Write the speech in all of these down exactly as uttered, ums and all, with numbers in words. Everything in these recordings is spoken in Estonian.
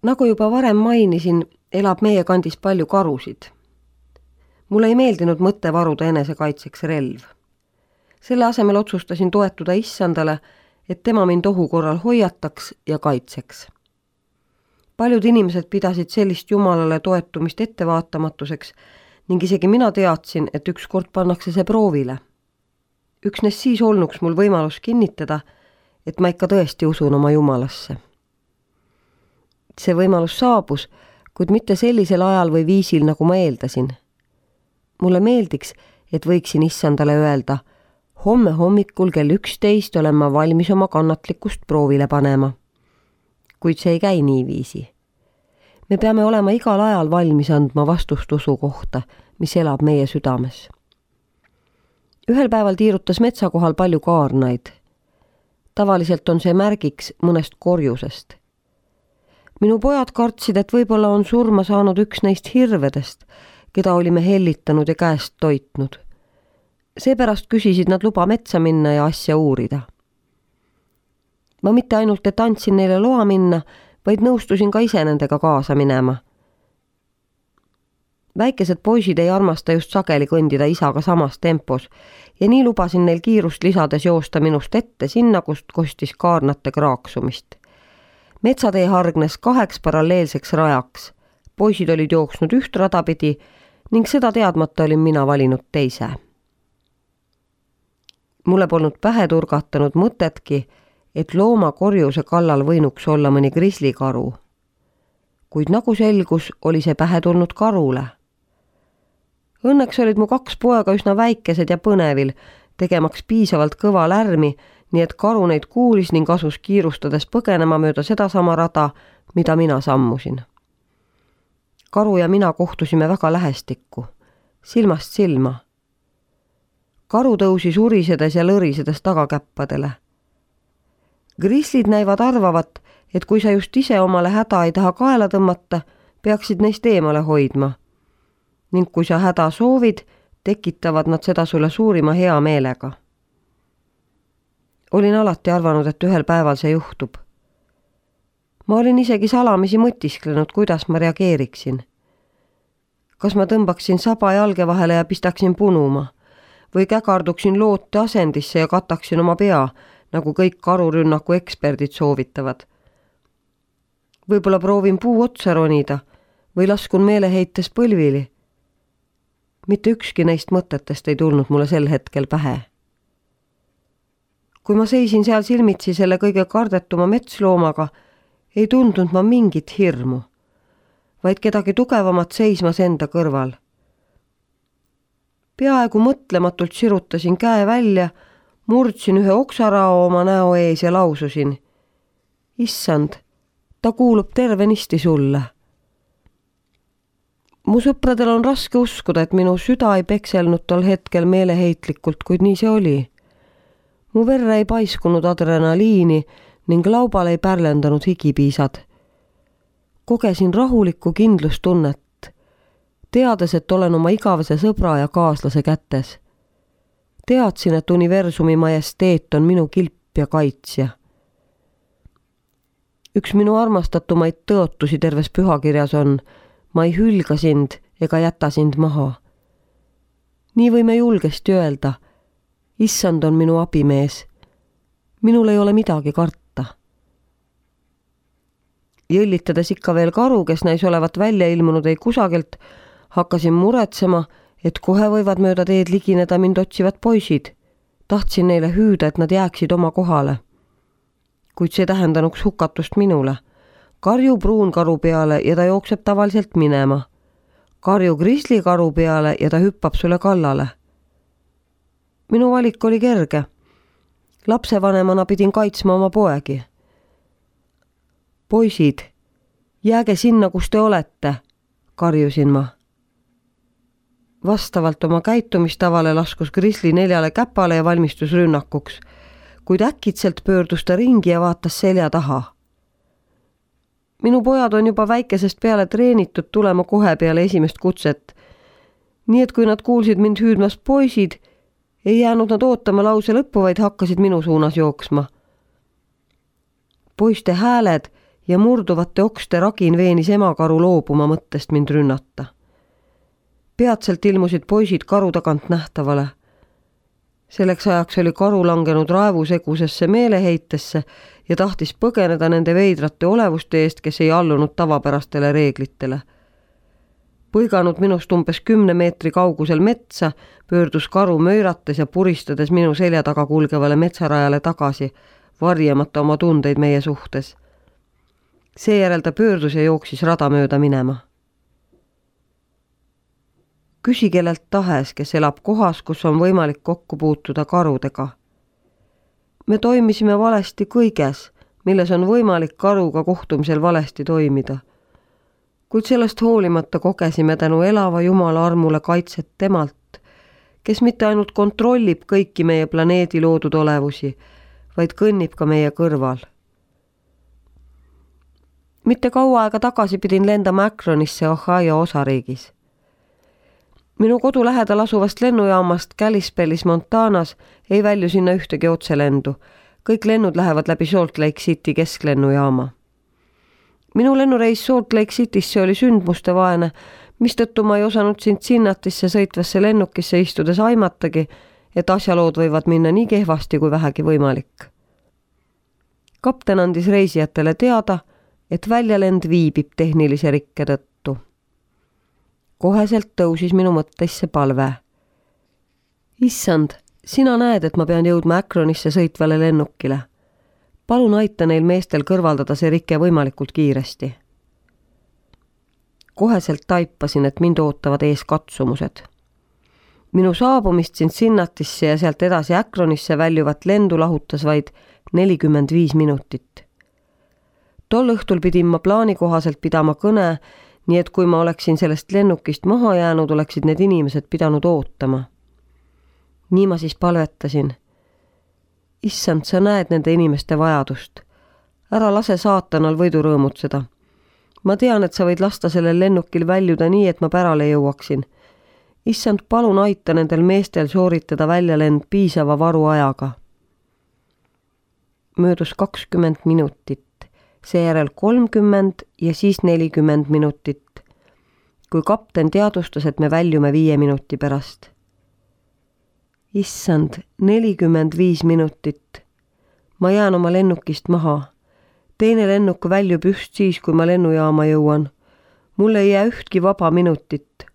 Nagu juba varem mainisin, elab meie kandis palju karusid. Mulle ei meeldinud mõtte varuda enesekaitseks relv. Selle asemel otsustasin toetuda issandale, et tema mind ohu korral hoiataks ja kaitseks. Paljud inimesed pidasid sellist jumalale toetumist ettevaatamatuseks ning isegi mina teadsin, et ükskord pannakse see proovile. Üksnes siis olnuks mul võimalus kinnitada, et ma ikka tõesti usun oma jumalasse. See võimalus saabus, kuid mitte sellisel ajal või viisil, nagu ma eeldasin. Mulle meeldiks, et võiksin issandale öelda, homme hommikul kell üksteist olen ma valmis oma kannatlikkust proovile panema. Kuid see ei käi niiviisi. Me peame olema igal ajal valmis andma vastust usu kohta, mis elab meie südames. Ühel päeval tiirutas metsa kohal palju kaarnaid. Tavaliselt on see märgiks mõnest korjusest. Minu pojad kartsid, et võib-olla on surma saanud üks neist hirvedest, keda olime hellitanud ja käest toitnud. Seepärast küsisid nad luba metsa minna ja asja uurida. Ma mitte ainult, et andsin neile loa minna, vaid nõustusin ka ise nendega kaasa minema. Väikesed poisid ei armasta just sageli kõndida isaga samas tempos ja nii lubasin neil kiirust lisades joosta minust ette sinna, kust kostis kaarnate kraaksumist. Metsatee hargnes kaheks paralleelseks rajaks. Poisid olid jooksnud üht radapidi ning seda teadmata olin mina valinud teise. Mulle polnud pähe turgatanud mõtetki, et looma korjuse kallal võinuks olla mõni grislikaru. Kuid nagu selgus, oli see pähe tulnud karule. Õnneks olid mu kaks poega üsna väikesed ja põnevil, tegemaks piisavalt kõva lärmi, nii et karu neid kuulis ning asus kiirustades põgenema mööda sedasama rada, mida mina sammusin. Karu ja mina kohtusime väga lähestikku, silmast silma. Karu tõusis urisedes ja lõrisedes tagakäppadele. Grislid näivad arvavat, et kui sa just ise omale häda ei taha kaela tõmmata, peaksid neist eemale hoidma. Ning kui sa häda soovid, tekitavad nad seda sulle suurima hea meelega. Olin alati arvanud, et ühel päeval see juhtub. Ma olin isegi salamisi mõtisklenud, kuidas ma reageeriksin. Kas ma tõmbaksin saba jalge vahele ja pistaksin punuma või käkarduksin loote asendisse ja kataksin oma pea, nagu kõik karurünnaku eksperdid soovitavad. Võib-olla proovin puu otsa ronida või laskun meeleheites põlvili. Mitte ükski neist mõtetest ei tulnud mulle sel hetkel pähe. Kui ma seisin seal silmitsi selle kõige kardetuma metsloomaga, ei tundnud ma mingit hirmu, vaid kedagi tugevamat seismas enda kõrval. Peaaegu mõtlematult sirutasin käe välja, murdsin ühe oksarao oma näo ees ja laususin. Issand, ta kuulub tervenisti sulle. Mu sõpradel on raske uskuda, et minu süda ei pekselnud tol hetkel meeleheitlikult, kuid nii see oli. Mu verre ei paiskunud adrenaliini ning laubal ei pärlendanud higipiisad. Kogesin rahulikku kindlustunnet, teades, et olen oma igavese sõbra ja kaaslase kätes. Teadsin, et universumi majesteet on minu kilp ja kaitsja. Üks minu armastatumaid tõotusi terves pühakirjas on, ma ei hülga sind ega jäta sind maha. Nii võime julgesti öelda, issand on minu abimees. Minul ei ole midagi karta. Jõllitades ikka veel karu, kes näis olevat välja ilmunud ei kusagilt, hakkasin muretsema, et kohe võivad mööda teed ligineda mind otsivad poisid. Tahtsin neile hüüda, et nad jääksid oma kohale. Kuid see tähendanuks hukatust minule. Karju pruunkaru peale ja ta jookseb tavaliselt minema. Karju grislikaru peale ja ta hüppab sulle kallale. Minu valik oli kerge. Lapsevanemana pidin kaitsma oma poegi. Poisid, jääge sinna, kus te olete, karjusin ma. Vastavalt oma käitumistavale laskus grisli neljale käpale ja valmistus rünnakuks, kuid äkitselt pöördus ta ringi ja vaatas selja taha. Minu pojad on juba väikesest peale treenitud tulema kohe peale esimest kutset, nii et kui nad kuulsid mind hüüdmas poisid, ei jäänud nad ootama lause lõppu, vaid hakkasid minu suunas jooksma. Poiste hääled ja murduvate okste ragin veenis emakaru loobuma mõttest mind rünnata. Peatselt ilmusid poisid karu tagant nähtavale. Selleks ajaks oli karu langenud raevusegusesse meeleheitesse ja tahtis põgeneda nende veidrate olevuste eest, kes ei allunud tavapärastele reeglitele. Põiganud minust umbes kümne meetri kaugusel metsa, pöördus karu möirates ja puristades minu selja taga kulgevale metsarajale tagasi, varjamata oma tundeid meie suhtes. Seejärel ta pöördus ja jooksis rada mööda minema. Küsi kellelt tahes, kes elab kohas, kus on võimalik kokku puutuda karudega. Me toimisime valesti kõiges, milles on võimalik karuga kohtumisel valesti toimida. Kuid sellest hoolimata kogesime tänu elava Jumala armule kaitset temalt, kes mitte ainult kontrollib kõiki meie planeedi loodud olevusi, vaid kõnnib ka meie kõrval. Mitte kaua aega tagasi pidin lendama Akronisse Ohio osariigis. Minu kodu lähedal asuvast lennujaamast Kalispellis Montanas ei välju sinna ühtegi otselendu. Kõik lennud lähevad läbi Salt Lake City kesklennujaama. Minu lennureis Salt Lake Citysse oli sündmuste vaene, mistõttu ma ei osanud Cincinnatisse sõitvasse lennukisse istudes aimatagi, et asjalood võivad minna nii kehvasti kui vähegi võimalik. Kapten andis reisijatele teada, et väljalend viibib tehnilise rikke tõttu. Koheselt tõusis minu mõtteisse palve. Issand, sina näed, et ma pean jõudma Akronisse sõitvale lennukile. Palun aita neil meestel kõrvaldada see rike võimalikult kiiresti. Koheselt taipasin, et mind ootavad ees katsumused. Minu saabumist Cincinnatisse ja sealt edasi Akronisse väljuvat lendu lahutas vaid nelikümmend viis minutit. Tol õhtul pidin ma plaani kohaselt pidama kõne, nii et kui ma oleksin sellest lennukist maha jäänud, oleksid need inimesed pidanud ootama. Nii ma siis palvetasin. Issand, sa näed nende inimeste vajadust. Ära lase saatanal võidu rõõmutseda. Ma tean, et sa võid lasta sellel lennukil väljuda nii, et ma pärale jõuaksin. Issand, palun aita nendel meestel sooritada väljalend piisava varu ajaga. Möödus kakskümmend minutit. Seejärel kolmkümmend ja siis nelikümmend minutit, kui kapten teadustas, et me väljume viie minuti pärast. Issand, nelikümmend viis minutit. Ma jään oma lennukist maha. Teine lennuk väljub just siis, kui ma lennujaama jõuan. Mul ei jää ühtki vaba minutit.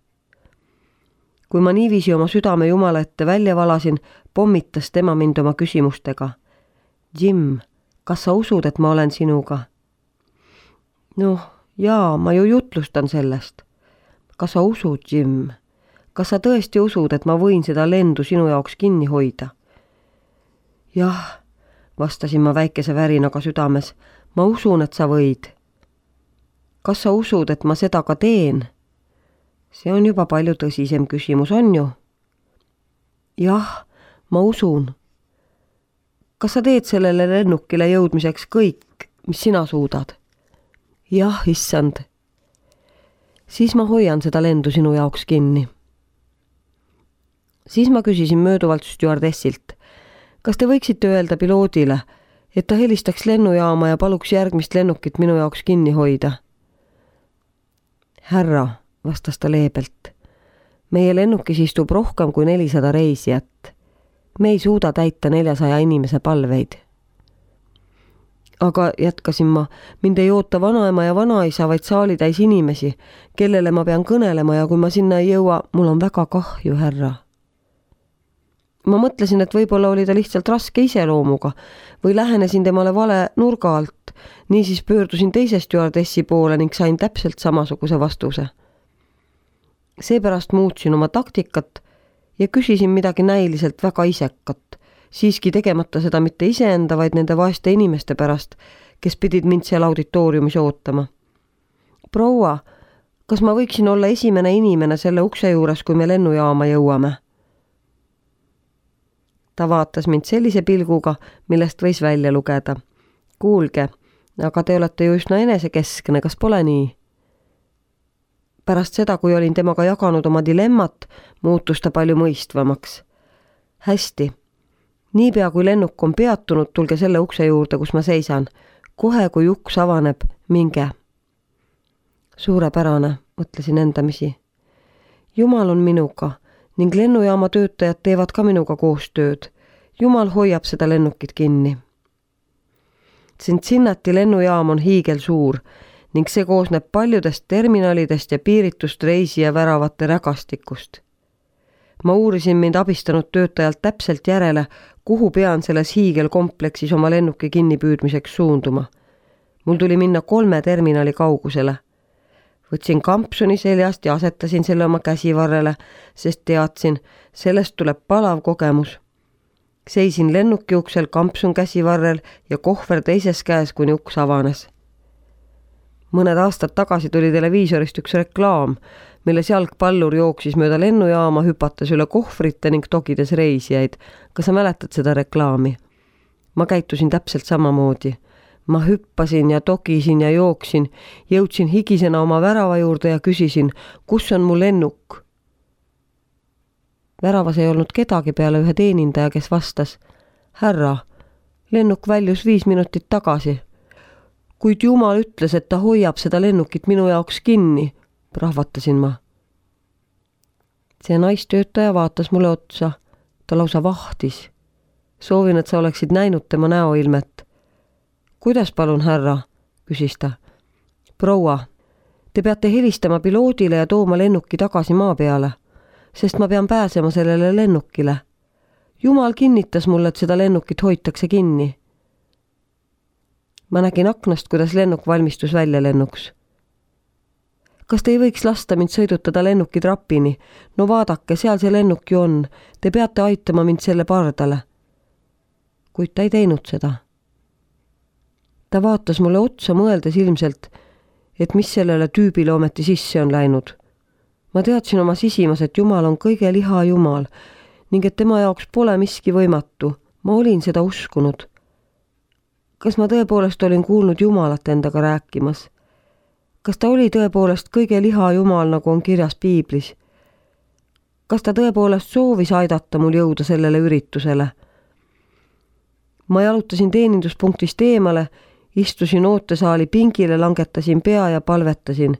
Kui ma niiviisi oma südame Jumala ette välja valasin, pommitas tema mind oma küsimustega. Jim, kas sa usud, et ma olen sinuga? Noh, jaa, ma ju jutlustan sellest. Kas sa usud, Jim? Kas sa tõesti usud, et ma võin seda lendu sinu jaoks kinni hoida? Jah, vastasin ma väikese värinaga südames. Ma usun, et sa võid. Kas sa usud, et ma seda ka teen? See on juba palju tõsisem küsimus, on ju? Jah, ma usun. Kas sa teed sellele lennukile jõudmiseks kõik, mis sina suudad? Jah, issand. Siis ma hoian seda lendu sinu jaoks kinni. Siis ma küsisin mööduvalt stjuardessilt, kas te võiksite öelda piloodile, et ta helistaks lennujaama ja paluks järgmist lennukit minu jaoks kinni hoida? Härra, vastas ta leebelt, meie lennukis istub rohkem kui nelisada reisijat. Me ei suuda täita neljasaja inimese palveid. Aga jätkasin ma, mind ei oota vanaema ja vanaisa, vaid saali täis inimesi, kellele ma pean kõnelema ja kui ma sinna ei jõua, mul on väga kahju, härra. Ma mõtlesin, et võib-olla oli ta lihtsalt raske iseloomuga või lähenesin temale vale nurga alt, niisiis pöördusin teise stjuardessi poole ning sain täpselt samasuguse vastuse. Seepärast muutsin oma taktikat ja küsisin midagi näiliselt väga isekat, siiski tegemata seda mitte iseenda, vaid nende vaeste inimeste pärast, kes pidid mind seal auditooriumis ootama. Proua, kas ma võiksin olla esimene inimene selle ukse juures, kui me lennujaama jõuame? Ta vaatas mind sellise pilguga, millest võis välja lugeda. Kuulge, aga te olete ju üsna enesekeskne, kas pole nii? Pärast seda, kui olin temaga jaganud oma dilemmat, muutus ta palju mõistvamaks. Hästi. Niipea kui lennuk on peatunud, tulge selle ukse juurde, kus ma seisan. kohe, kui uks avaneb, minge. Suurepärane, mõtlesin endamisi. Jumal on minuga ning lennujaama töötajad teevad ka minuga koostööd. Jumal hoiab seda lennukit kinni. Cincinnati lennujaam on hiigel suur ning see koosneb paljudest terminalidest ja piiritust reisija väravate rägastikust. Ma uurisin mind abistanud töötajalt täpselt järele, kuhu pean selles hiigelkompleksis oma lennuki kinnipüüdmiseks suunduma. Mul tuli minna kolme terminali kaugusele. Võtsin kampsuni seljast ja asetasin selle oma käsivarrele, sest teadsin, sellest tuleb palav kogemus. Seisin lennuki uksel, kampsun käsivarrel ja kohver teises käes, kuni uks avanes. Mõned aastad tagasi tuli televiisorist üks reklaam, milles jalgpallur jooksis mööda lennujaama, hüpates üle kohvrite ning togides reisijaid. Kas sa mäletad seda reklaami? Ma käitusin täpselt samamoodi. Ma hüppasin ja togisin ja jooksin, jõudsin higisena oma värava juurde ja küsisin, kus on mu lennuk? Väravas ei olnud kedagi peale ühe teenindaja, kes vastas, härra, lennuk väljus viis minutit tagasi. Kuid Jumal ütles, et ta hoiab seda lennukit minu jaoks kinni, prahvatasin ma. See naistöötaja vaatas mulle otsa, ta lausa vahtis. Soovin, et sa oleksid näinud tema näoilmet. Kuidas palun, härra, küsis ta. Proua, te peate helistama piloodile ja tooma lennuki tagasi maa peale, sest ma pean pääsema sellele lennukile. Jumal kinnitas mulle, et seda lennukit hoitakse kinni. Ma nägin aknast, kuidas lennuk valmistus välja lennuks. Kas te ei võiks lasta mind sõidutada lennuki trapini? No vaadake, seal see lennuk ju on. Te peate aitama mind selle pardale. Kuid ta ei teinud seda. Ta vaatas mulle otsa, mõeldes ilmselt, et mis sellele tüübile ometi sisse on läinud. Ma teadsin oma sisimas, et Jumal on kõige liha Jumal ning et tema jaoks pole miski võimatu. Ma olin seda uskunud. Kas ma tõepoolest olin kuulnud Jumalat endaga rääkimas? Kas ta oli tõepoolest kõige liha Jumal, nagu on kirjas Piiblis? Kas ta tõepoolest soovis aidata mul jõuda sellele üritusele? Ma jalutasin teeninduspunktist eemale, istusin ootesaali pingile, langetasin pea ja palvetasin.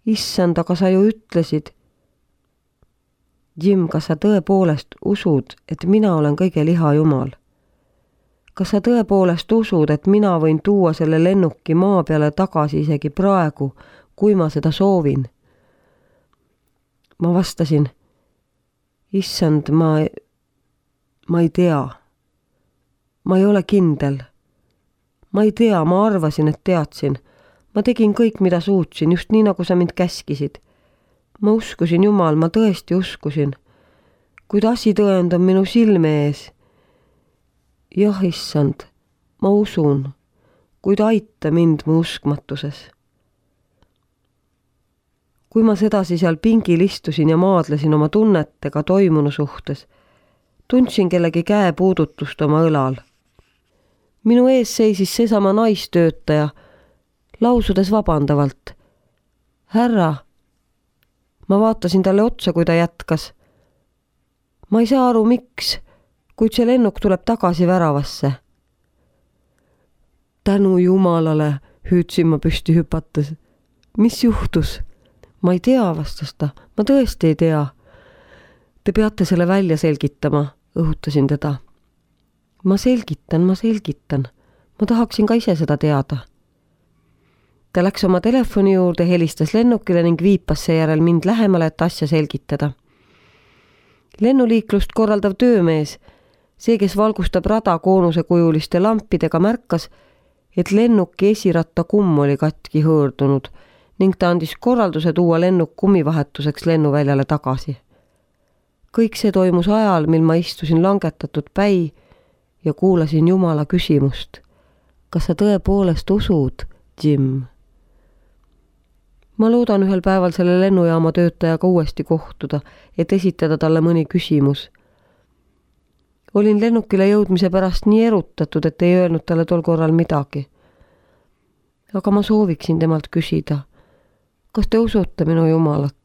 Issand, aga sa ju ütlesid. Jim, kas sa tõepoolest usud, et mina olen kõige liha Jumal? Kas sa tõepoolest usud, et mina võin tuua selle lennuki maa peale tagasi isegi praegu, kui ma seda soovin? Ma vastasin, issand, ma, ma ei tea. Ma ei ole kindel. Ma ei tea, ma arvasin, et teadsin. Ma tegin kõik, mida suutsin, just nii, nagu sa mind käskisid. Ma uskusin Jumal, ma tõesti uskusin. Kuid asitõend on minu silme ees. Jah, issand, ma usun, kuid aita mind mu uskmatuses. Kui ma sedasi seal pingil istusin ja maadlesin oma tunnetega toimunu suhtes, tundsin kellegi käe puudutust oma õlal. Minu ees seisis seesama naistöötaja, lausudes vabandavalt. Härra, ma vaatasin talle otsa, kui ta jätkas. Ma ei saa aru, miks, kuid see lennuk tuleb tagasi väravasse. Tänu Jumalale, hüüdsin ma püsti hüpates. Mis juhtus? Ma ei tea, vastas ta. Ma tõesti ei tea. Te peate selle välja selgitama, õhutasin teda. Ma selgitan, ma selgitan. Ma tahaksin ka ise seda teada. Ta läks oma telefoni juurde, helistas lennukile ning viipas seejärel mind lähemale, et asja selgitada. Lennuliiklust korraldav töömees, see, kes valgustab rada koonusekujuliste lampidega, märkas, et lennuki esiratta kumm oli katki hõõrdunud ning ta andis korralduse tuua lennuk kummivahetuseks lennuväljale tagasi. Kõik see toimus ajal, mil ma istusin langetatud päi ja kuulasin Jumala küsimust. Kas sa tõepoolest usud, Jim? Ma loodan ühel päeval selle lennujaama töötajaga uuesti kohtuda, et esitada talle mõni küsimus. Olin lennukile jõudmise pärast nii erutatud, et ei öelnud talle tol korral midagi. Aga ma sooviksin temalt küsida, kas te usute minu Jumalat?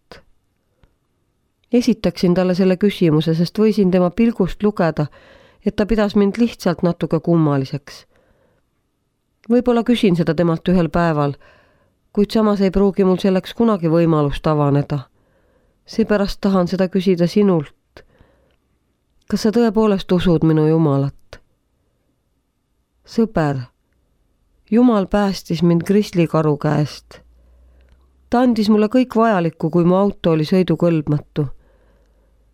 Esitaksin talle selle küsimuse, sest võisin tema pilgust lugeda, et ta pidas mind lihtsalt natuke kummaliseks. Võib-olla küsin seda temalt ühel päeval, kuid samas ei pruugi mul selleks kunagi võimalust avaneda. Seepärast tahan seda küsida sinult. Kas sa tõepoolest usud minu Jumalat? Sõber, Jumal päästis mind grislikaru käest. Ta andis mulle kõik vajalikku, kui mu auto oli sõidukõlbmatu.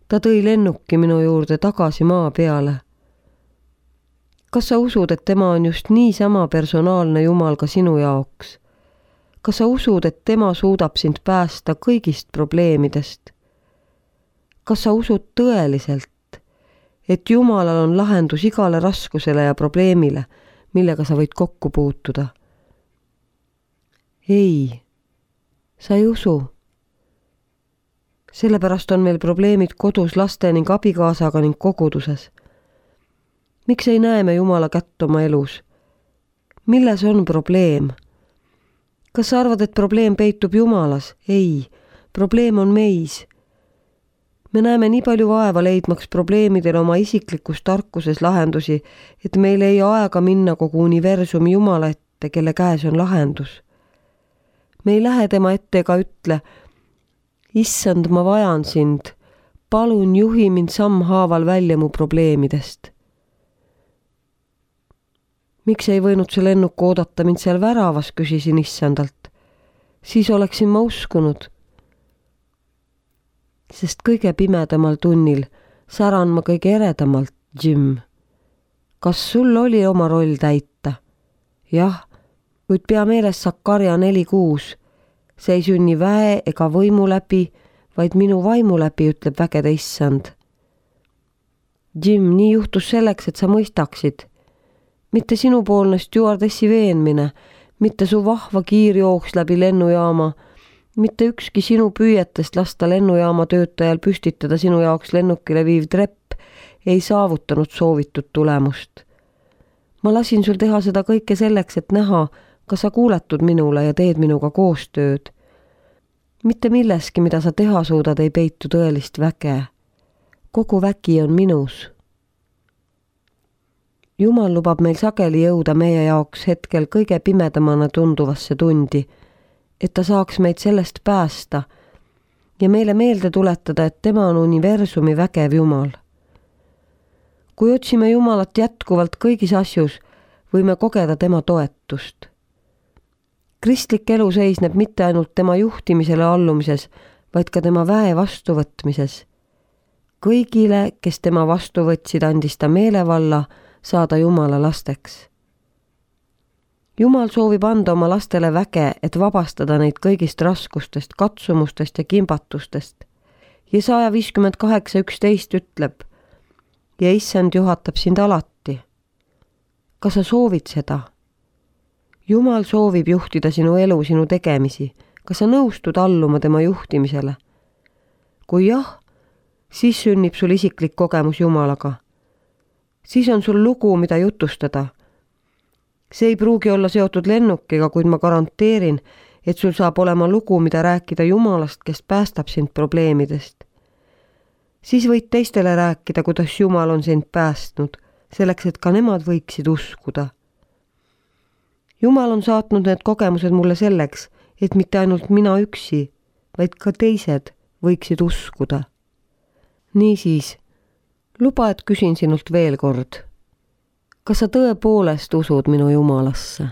Ta tõi lennuki minu juurde tagasi maa peale. Kas sa usud, et tema on just niisama personaalne Jumal ka sinu jaoks? Kas sa usud, et tema suudab sind päästa kõigist probleemidest? Kas sa usud tõeliselt, et Jumalal on lahendus igale raskusele ja probleemile, millega sa võid kokku puutuda? Ei, sa ei usu. Sellepärast on meil probleemid kodus laste ning abikaasaga ning koguduses. Miks ei näe me Jumala kätt oma elus? Milles on probleem? Kas sa arvad, et probleem peitub Jumalas? Ei, probleem on meis. Me näeme nii palju vaeva leidmaks probleemidele oma isiklikus tarkuses lahendusi, et meil ei aega minna kogu universumi Jumala ette, kelle käes on lahendus. Me ei lähe tema ette ega ütle, issand, ma vajan sind, palun juhi mind sammhaaval välja mu probleemidest. Miks ei võinud see lennuk oodata mind seal väravas, küsisin issandalt. Siis oleksin ma uskunud. Sest kõige pimedamal tunnil säran ma kõige eredamalt, Jim. Kas sul oli oma roll täita? Jah, kuid pea meeles Sakarja neli kuus. See ei sünni väe ega võimu läbi, vaid minu vaimu läbi, ütleb vägede issand. Jim, nii juhtus selleks, et sa mõistaksid. Mitte sinupoolne stjuardessi veenmine, mitte su vahva kiirjooks läbi lennujaama, mitte ükski sinu püüetest lasta lennujaama töötajal püstitada sinu jaoks lennukile viiv trepp ei saavutanud soovitud tulemust. Ma lasin sul teha seda kõike selleks, et näha, kas sa kuuletud minule ja teed minuga koostööd. Mitte milleski, mida sa teha suudad, ei peitu tõelist väge. Kogu vägi on minus. Jumal lubab meil sageli jõuda meie jaoks hetkel kõige pimedamana tunduvasse tundi, et ta saaks meid sellest päästa ja meile meelde tuletada, et tema on universumi vägev Jumal. Kui otsime Jumalat jätkuvalt kõigis asjus, võime kogeda tema toetust. Kristlik elu seisneb mitte ainult tema juhtimisele allumises, vaid ka tema väe vastuvõtmises. Kõigile, kes tema vastu võtsid, andis ta meelevalla saada Jumala lasteks. Jumal soovib anda oma lastele väge, et vabastada neid kõigist raskustest, katsumustest ja kimbatustest. Jesaja viiskümmend kaheksa üksteist ütleb, ja issand juhatab sind alati. Kas sa soovid seda? Jumal soovib juhtida sinu elu, sinu tegemisi. Kas sa nõustud alluma tema juhtimisele? Kui jah, siis sünnib sul isiklik kogemus Jumalaga. Siis on sul lugu, mida jutustada. See ei pruugi olla seotud lennukiga, kuid ma garanteerin, et sul saab olema lugu, mida rääkida Jumalast, kes päästab sind probleemidest. Siis võid teistele rääkida, kuidas Jumal on sind päästnud, selleks, et ka nemad võiksid uskuda. Jumal on saatnud need kogemused mulle selleks, et mitte ainult mina üksi, vaid ka teised võiksid uskuda. Niisiis, luba, et küsin sinult veel kord. Kas sa tõepoolest usud minu Jumalasse?